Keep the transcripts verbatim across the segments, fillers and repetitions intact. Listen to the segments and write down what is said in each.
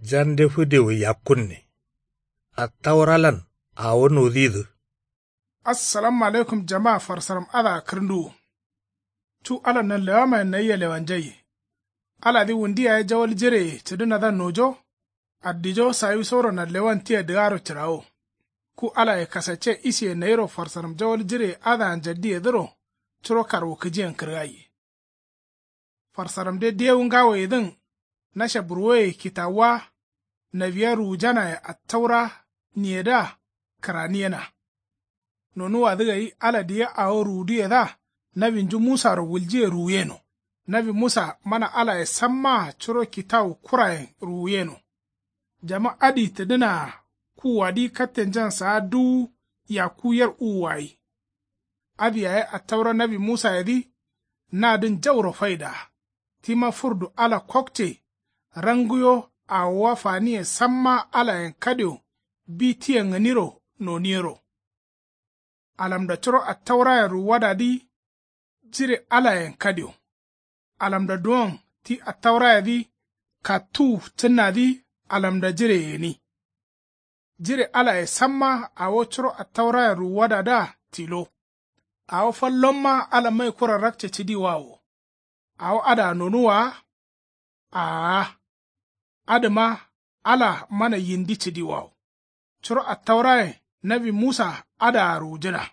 Jande fǝdewo yakkunne. Attauralan awo nodǝyidǝ. Assalamu alaikum jama farsaram adǝa kǝrǝnduwu. Cu ala nanlewamayen nayia lewanjaiye. Aladǝ wundi yaye jawal jireye cǝdǝnadǝa nojo. Addijo sawisoro nanlewan tia dǝgaro cǝrawo. Ku alaye kasacce isiye nayiro farsaram jawal jireye adǝa njaddiyedǝro. Curo karwukǝjiyen kǝrgaiye. Farsaramde dewu ngawoyedǝn. Nasha burwoye kitawuwa. Nawiya ruwujanaye attaura niyedǝa kǝraniyena. Nonuwadǝ gai ala diya awo ruwuduyedǝa. Nawinju musaro wuljiye ruwuyeno. Nawi musa mana alaye sammaa curo kitawu kurayen ruwuyeno. Jama adǝ tǝdǝnaa kuwuwadǝ kattenjan saa duwu yakku yer uwuwayi. Adǝ yaye attaura nawi musayedǝ. Nadǝn jauro faidaa. Tima furdu ala kokce. Ranguyo awowa faniye samma alayen kadio. Bi tia ngǝniro noniyero. Alamda curo attaurayen ruwuwadadǝ. Jire alayen kadio. Alamda duwon ti attaurayedǝ. Kattuwu cǝnnadǝ. Alamda jireye gǝni. Jire alaye samma awo curo attaurayen ruwuwadadǝa tilo. Awo fallomma ala mai kura rakce cǝdiwawo. Awo adǝa nonuwwa wa. Aa. Adǝma ala mana yindi cǝdiwawo. Curo attaurayen nawi musa adǝa ruwujǝna.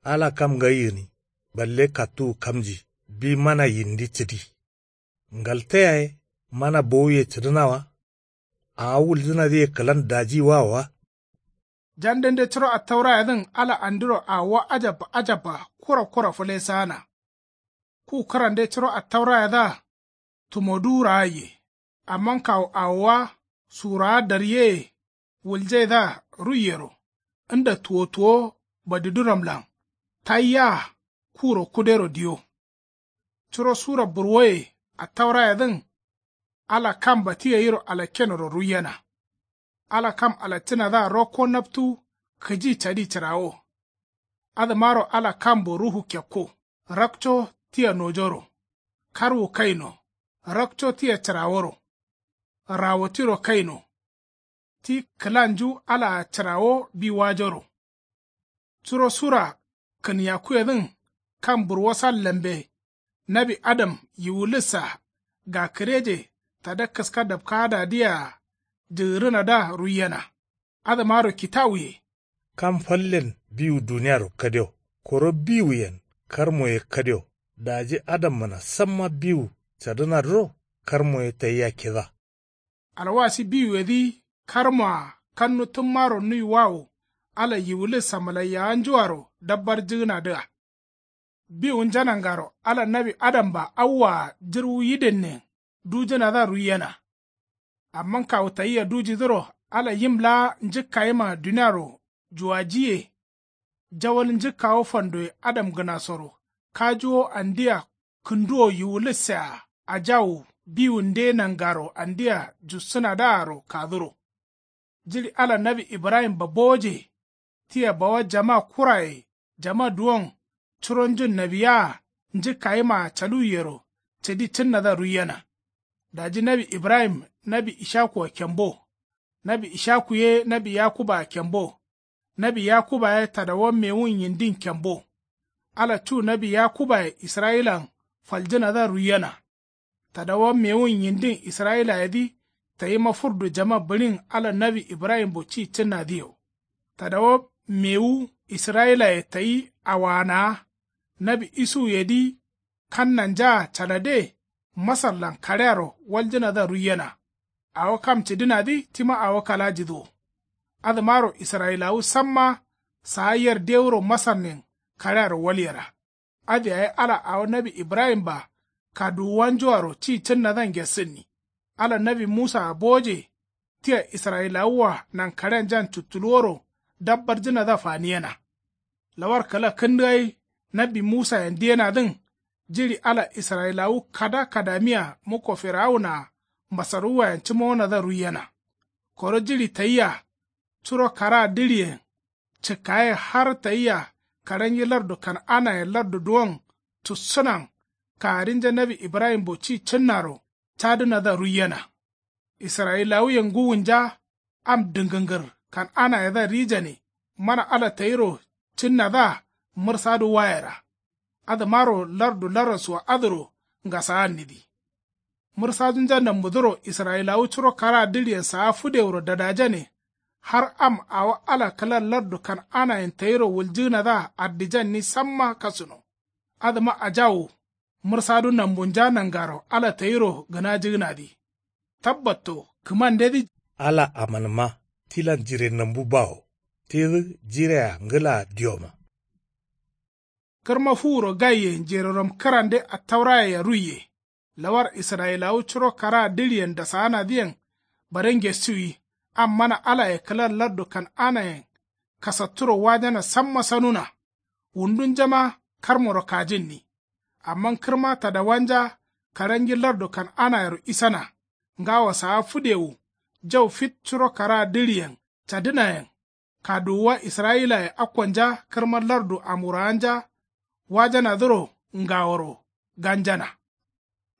Ala kam ngai gǝni. Balle kattuwu kamji bi mana yindi cǝdi. Ngalte yaye mana bowuye cǝdǝna wa. Awo wuljǝnadǝye kǝlan daji wa wa. Jandende curo attaurayedǝn ala andiro awowa ajabba ajabba kura kura fǝlesaana. Ku kǝrande curo attaurayedǝa. Tumoduwu raaiye. Amma kawu awowa surawa daryeye. Wuljaidǝa ruiyero. Nda tuwo tuwo badiduramlan. Taiyea kuro kudero diyo. Curo sura burwoye attaurayedǝn. Ala kam bati gairo alakkenoro ruiyena. Ala kam alaccǝnadǝa rokko naptu. Kǝji cadi cǝrawo. Adǝmaro ala kambo ruhu kekko. Rakco tia nojoro. Karwu kaino. Rakco tia cǝraworo. Rawo tiro kaino. Ti kǝlanju alaa cǝrawo bi wajoro. Curo sura kǝnyakkuyedǝn. Kam burwosa lambe. Nawi adam yiwulissa. Gakǝreje tada kǝska dapkaadadǝyea. Jǝgǝrǝnadǝa ruiyena. Adǝmaro kitawuye. Kam fallen biwu duniyaro kadio. Koro biwuyen karmoye kadio. Daji adammǝna samma biwu cadǝnadǝro. Karmoye tayia kida. Alwasi biwuyedǝ karmoa kannu tǝmmaro nuiwawo. Ala yiwulis samǝlaiyawanjuaro dabbarjǝgǝnadǝa. Biwunja nangaro ala nawi adamba awwaa jǝrwu yidennen dujǝnadǝa ruiyena. Amma kawu tayia dujidǝro ala yim laa njǝkkayima duniaro juwajiye. Jawal njǝkkawo fandoye adamgǝnasoro kajuwo andia kǝnduwo yiwulǝssea ajawu biwunde nangaro andia jussǝnadǝaro kaduro. Jiɍi ala nawi ibrahimba bowoje. Tia bawa jama kuraye jama duwon curonjun nawiyaa njǝkkayimaa caluwiyero cadi cǝnnadǝa ruiyena. Daji nawi ibrahim nawi ishakuwa kembo. Nawi ishaku ye nawi yakubaa kembo. Nawi yakuba ye tadawa mewun yindin kembo. Ala cu nawi yakubaye israyilan faljǝnadǝa ruiyena. Tadawa mewun yindin israyilayedǝ tayima furdu jama bǝɍin ala nawi ibrahimbo ci cǝnnadǝ yo. Tadawa mewu israyilaye tayi awaanaa. Nawi isuwuyedǝ kannanjaa calade masarlan kaɍearo waljǝnadǝa ruiyena. Awo kam cǝdǝnadǝ tima awo kalajidǝ wo. Adǝmaro israyilawu samma saa yer dewuro masarnin kaɍearo walyera. Adǝ yaye ala awo nawi ibrahimba kaduwuwanjuaro ci cǝnnadǝa ngessǝnni. Ala nawi musaa bowoje. Tia israyilawua nankaɍeanjan cuttuluworo dabbarjǝnadǝa faniyena. Lawar kǝla kǝndǝgai nawi musayen diyenadǝn. Jiɍi ala israyilawu kada kadamiya mukko firawunaa masarwuwayen cǝmowonadǝa ruiyena. Koro jiɍi tayia curo karaa dǝɍiyen cǝkkaye har tayia kaɍanyi lardu kan'anayen lardu duwon cussǝnan kagarinja nawi ibrahimbo ci cǝnnaro cadǝnadǝa ruiyena. Israyilawuyen ngǝwunja. Am dǝngǝngǝr kan'anayedǝa rijane mana ala tayiro cǝnnadǝa mǝrsadu wayera. Adǝmaro lardu laraswa adǝro ngasaannidǝ. Mǝrsadunja nambudǝro israyilawu curo karaa dǝɍiyen saa fǝdewuro dadajane. Har am awo ala kǝla lardu kan'anayen tayiro wuljǝgǝnadǝa ardijanni samma kasuno. Adǝma ajawu mǝrsadu nambunja nangaro ala tayiro gǝnajǝgǝnadǝ. Tabbatto kǝmandedǝ. Ala amanǝma tilan jire nambu bawo. Tidǝ jirea ngǝlaa dioma. Kǝrma fuwuro gaiye njererom kǝrande attaurayea ruiye. Lawar israyilawu curo karaa dǝɍiyen dasaanadǝyen bare ngesuwi. Am mana alaye kǝla lardu kan'anayen kasatturo wajana samma sanuna. Wundunjama karmoro kajǝnni. Amma kǝrma tadawanja karangi lardu kan'anayero isana. Ngawo saa fǝdewu jau fit curo karaa dǝɍiyen cadǝnayen. Kaduwuwa israyilaye akkonja kǝrma lardu amuraanja wajanadǝro ngaworo ganjana.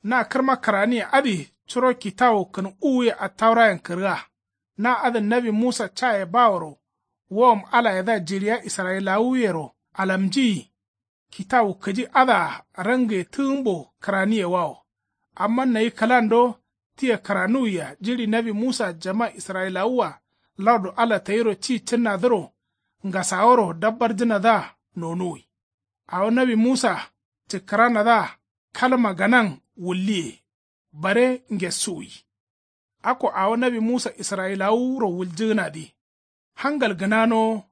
Na kǝrma kǝraniye adǝ curo kitawu kǝn uwuye attaurayen kǝrga. Na adǝn nawi musa caye baworo wowom alayedǝa jiɍiya israyilawuyero alamjiyi. Kitawu kǝji adǝa rangiye tǝgǝmbo kǝraniyewawo. Amma nayi kǝlando tia kǝranuwiya jiɍi nawi musa jama israyilawua lardu ala tayiro ci cǝnnadǝro ngasaworo dabbarjǝnadǝa nonuwi. Awo nawi musa cǝkkǝranadǝa kalma ganan wulliye. Bare ngesuwi. Akko awo nawi musa israyilawuro wuljǝgǝnadǝ. Hangal gǝnanowo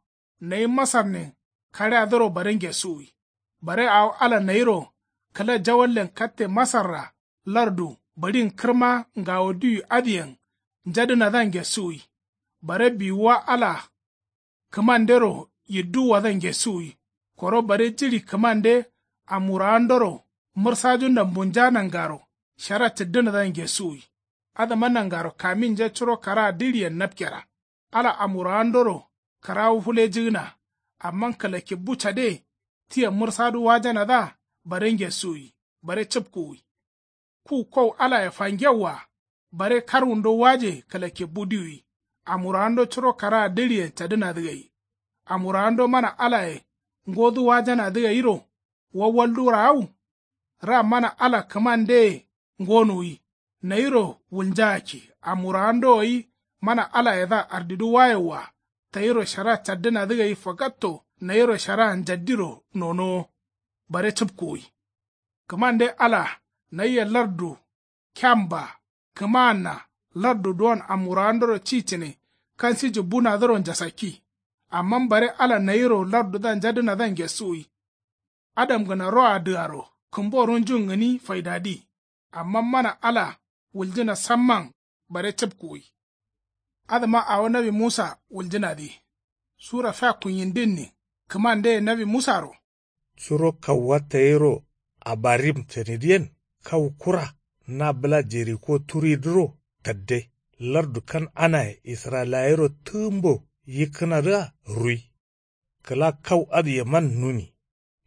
nayi masarnin kaɍeadǝro bare ngesuwi. Bare awo ala nayiro kǝla jawallen katte masarra lardu bǝɍin kǝrma ngawo diwi adǝyen njadǝnadǝa ngesuwi. Bare biwuwa ala kǝmandero yidduwwadǝa ngesuwi. Koro bare jiɍi kǝmande amurawandoro mǝrsaju nambunja nangaro shara cǝddǝnadǝa ngesuwi. Adǝma nangaro kaminja curo karaa diɍiyen napkera. Ala amurawandoro kǝrawu fulejǝgǝna. Amma kǝla kibbu cade tia mǝrsadu wajanadǝa bare ngesuwi bare cǝpkuwi. Ku kau alaye fangewwa bare karwundo waje kǝla kibbu diwi. Amurawando curo karaa dǝɍiyen cadǝnadǝ gai. Amurawando mana alaye ngodu wajanadǝ gairo wawaldu raau. Ra mana ala kǝmandeye ngonuwi. Nayiro wulnjaakki amurawando gai mana alayedǝa ardidu wayewwa. Tayiro shara caddǝnadǝ gai fagatto nayiro sharaa njaddiro nonowo. Bare cǝpkuwi. Kǝmande ala nayia lardu kyamba kǝmaanna lardu duwon amurawandoro ci cǝne kansiji bunadǝro njasakki. Amma bare ala nayiro lardudǝa njadǝnadǝa ngesuwi. Adamgǝna roa dǝgaro kǝmbo runjun gǝni faidadi. Amma mana ala wuljǝna samman bare cǝpkuwi. Adǝma awo nawi musa wuljǝnadǝ sura fea kunyindinnin kǝmandeye nawi musaro. Curo kauwa tayiro abarim canidǝyen kau kura na bǝla jeriko turidǝro tadde lardu kan'anaye israyilayero tǝgǝmbo yikkǝnadǝa rui. Kǝla kau adǝyeman nuni.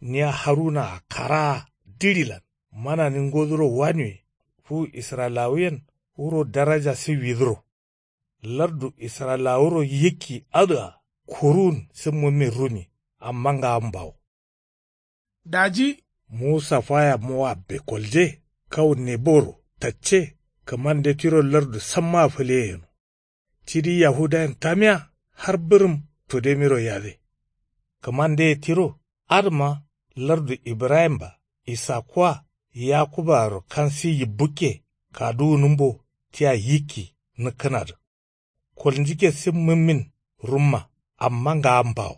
Nia harunaa karaa diɍilan manani ngoduro wanuwe fu israyilawuyen wuro daraja siwidǝro. Lardu israyilawuro yikki adǝa kuruwun sǝmmǝmin runi. Amma ngawan bawo. Daji musa faya mowabbe kolje kau neboro tacce kǝmande tiro lardu sammaa fǝleye yeno. Cidi yahudayen tamiya har bǝrǝm fǝdemiro yade. Kǝmandeye tiro adǝma lardu ibrahimba isakuwa yakubaaro kansi yibbukke kaduwunǝmbo tia yikki nǝkkǝnadǝ. Kolnjike simmǝmmin rumma amma ngawan bawo.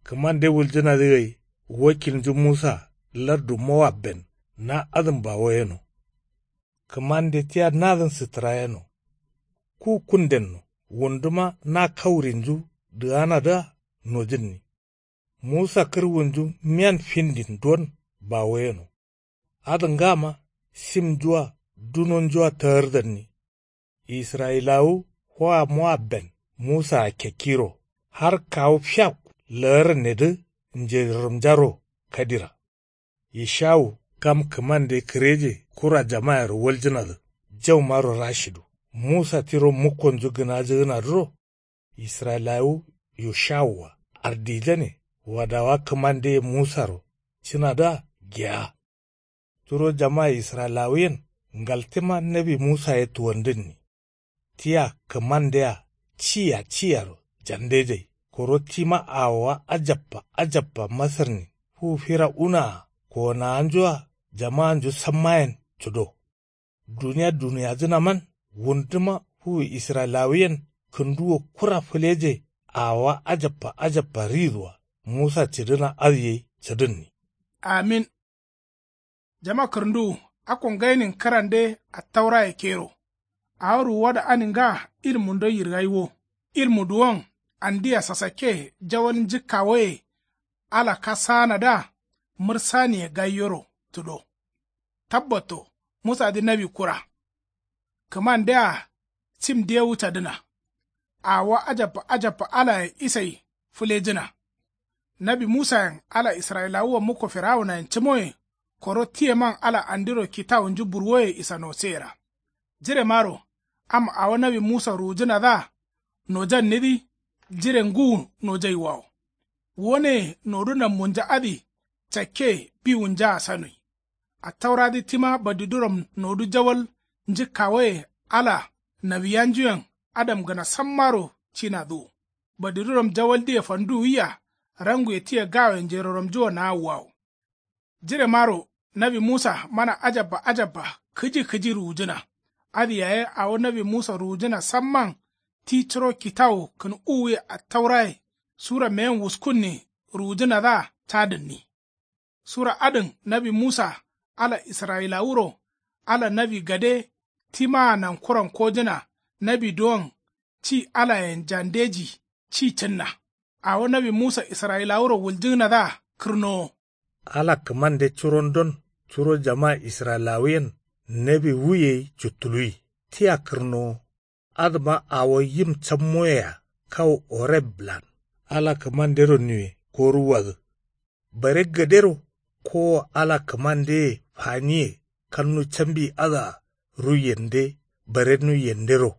Kǝmande wuljǝnadǝ gai wakilnju musa lardu mowabben na adǝn bawo yeno. Kǝmande tia nadǝn sǝttǝra yeno. Ku kundenno wunduma na kaurinju dǝganadǝa nojǝnni. Musa kǝrwunju miyan findin don bawo yeno. Adǝ ngama simnjua dunonjua tagardanni. Israyilawu hoa moabben musaa kekkiro har kawu fiakku lagarannedǝ njeroromnjaro kadira. Yishawu kam kǝmande kǝreje kura jamayero waljǝnadǝ jaumaro rashidu. Musa tiro mukkonju gǝnajǝgǝnadǝro israyilawu yoshawua ardijane wadawa kǝmandeye musaro cǝnadǝa geya. Turo jama israyilawuyen ngaltema nawi musa ye tuwandǝnni. Tia kǝmandea ciya ciyaro jandejai koro tima awowa ajabba ajabba masarnin fu fira unaa kowonawanjua jamaanju sammayen cǝdo. Duniya duniyajǝnaman wunduma fu israyilawuyen kǝnduwo kura fǝleje awowa ajabba ajabba riduwa musa cǝdǝna adǝ yai cǝdǝnni. Amin. Jama kǝrǝnduwu akko ngainin kǝrande attauraye kero. Awo ruwuwado ani nga ilmundon yirgai wo. Ilmu duwon andia sasakke jawal njǝkkawoye ala kasaanadǝa mǝrsaniye gaiyoro tǝdo. Tabbatto musadǝ nawi kura. Kǝmandea cim dewu cadǝna. Awowa ajabba ajabba alaye isai fǝlejǝna. Nawi musayen ala israyilawuwa mukko firawunayen cǝmoye koro tiyeman ala andiro kitawunju burwoye isanoseera. Jiremaro am awo nawi musa ruwujǝnadǝa nojannidǝ jire ngǝwu nojaiwawo. Woneye nodu nammunja adǝ cakke biwunjaa sanui. Attauradǝ tima badiduram nodu jawal njǝkkawoye ala nawiyanjuyen adamgǝna sammaro cinadǝ wo. Badiduram jawaldǝye fanduwia ranguye tia gawoye njeroramjua naawuwawo. Jiremaro nawi musa mana ajabba ajabba kǝji kǝji ruwujǝna. Adǝ yaye awo nawi musa ruwujǝna samman ti curo kitawu kǝn uwuye attauraye sura meyen wuskunni ruwujǝnadǝa cadǝnni. Sura adǝn nawi musa ala israyilawuro ala nawi gade timaa nankuran kojǝna nawi duwon ci alayen jandeji ci cǝnna. Awo nawi musa israyilawuro wuljǝgǝnadǝa kǝrnowo. Ala kǝmande curondon curo jama israyilawuyen nawi wuyei juttuluwi tia kǝrnowo. Adǝma awo yim cammoyea kawu oreblan ala kǝmandero niwe koruwwadǝ. Bare gadero kowo ala kǝmandeye faniye kannu cambi adǝa ruiyende bare nuiyendero.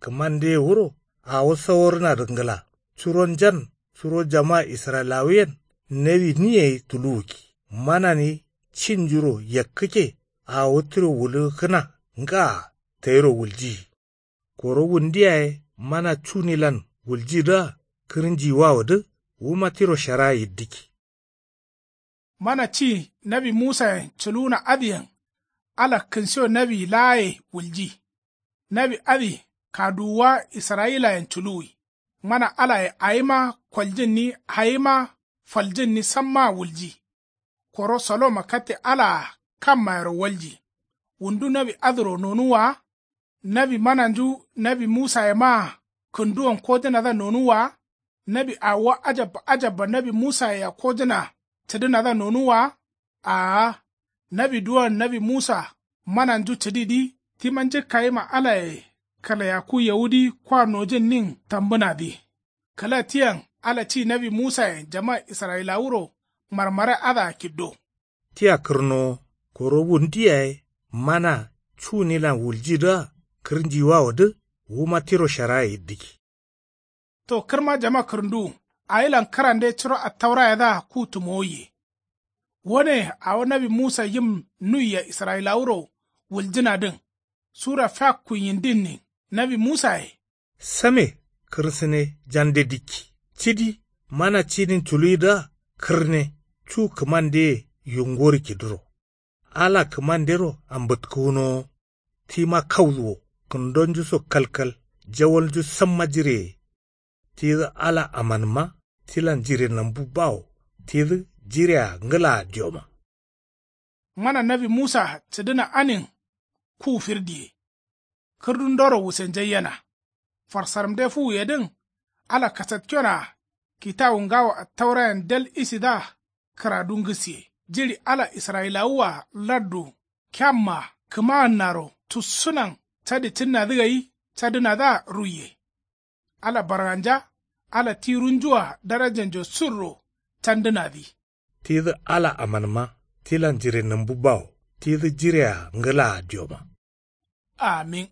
Kǝmandeye wuro awo saworǝnadǝ ngla curonjan suro jama israyilawuyen nawi ni yai tuluwukki. Manani cinjuro yakkǝkke awo tiro wulǝgǝkkǝna ngaa tayiro wuljiyi. Koro wundu yaye mana cunilan wuljidǝa kǝrǝnjiwawodǝ wuma tiro sharaa yiddǝkki. Mana ci nawi musayen culuwuna adǝyen ala kǝnsiyo nawi laaye wulji. Nawi adǝ kaduwuwa israyilayen culuwi. Mana alaye awima koljǝnni awima faljǝnni sammaa wulji. Koro soloma katte alaa kammayero walji. Wundu nawi adǝro nonuwwa wa? Nawi mananju nawi musayemaa kǝnduwon kojǝnadǝa nonuwwa wa? Nawi awowa ajabba ajabba nawi musayea kojǝna cǝdǝnadǝa nonuwwa wa? Aa. Nawi duwon nawi musa mananju cǝdidǝ tima njǝkkayima alaye kǝlayakku yawudǝ kwa nojǝnnin tambǝnadǝ. Kǝla tiyen ala ci nawi musayen jama israyilawuro marmara adǝa kiddo. Tia kǝrnowo koro wundu yaye mana cunilan wuljidǝa kǝrnjiwawodǝ wuma tiro sharaye yiddǝkki. To kǝrma jama kǝrǝnduwu awilan kǝrande curo attaurayedǝa ku tǝmowaiye. Wone awo nawi musa yim nuiya israyilawuro wuljǝnadǝn sura fiakku yindinnin nawi musaye. Same kǝrsǝne jande dikki cidi mana cidin culuwidǝa kǝrne cu kǝmandeye yungorǝ kidǝro. Ala kǝmandero ambǝtkǝgǝnowo. Tima kauduwo kǝndonjuso kalkal jawalnju samma jireye. Tidǝ ala amanǝmma tilan jire nambu bawo tidǝ jirea ngǝlaa dioma. Mana nawi musa cǝdǝna anin ku firdiye. Kǝrdundoro wusenjaiyena. Farsarmde fuwuyedǝn ala kasatkionaa kitawu ngawo attaurayen dal isidǝa kǝradu ngǝsiye jiɍi ala israyilawua lardu kemmaa kǝmaannaro tussunan cadi cǝnnadǝ gai cadǝnadǝa ruiye. Ala barganja ala ti runjua darajanjo surro candǝnadǝ. Tidǝ ala amanǝma tilan jire nǝmbu bawo tidǝ jirea ngǝlaa dioma. Amin.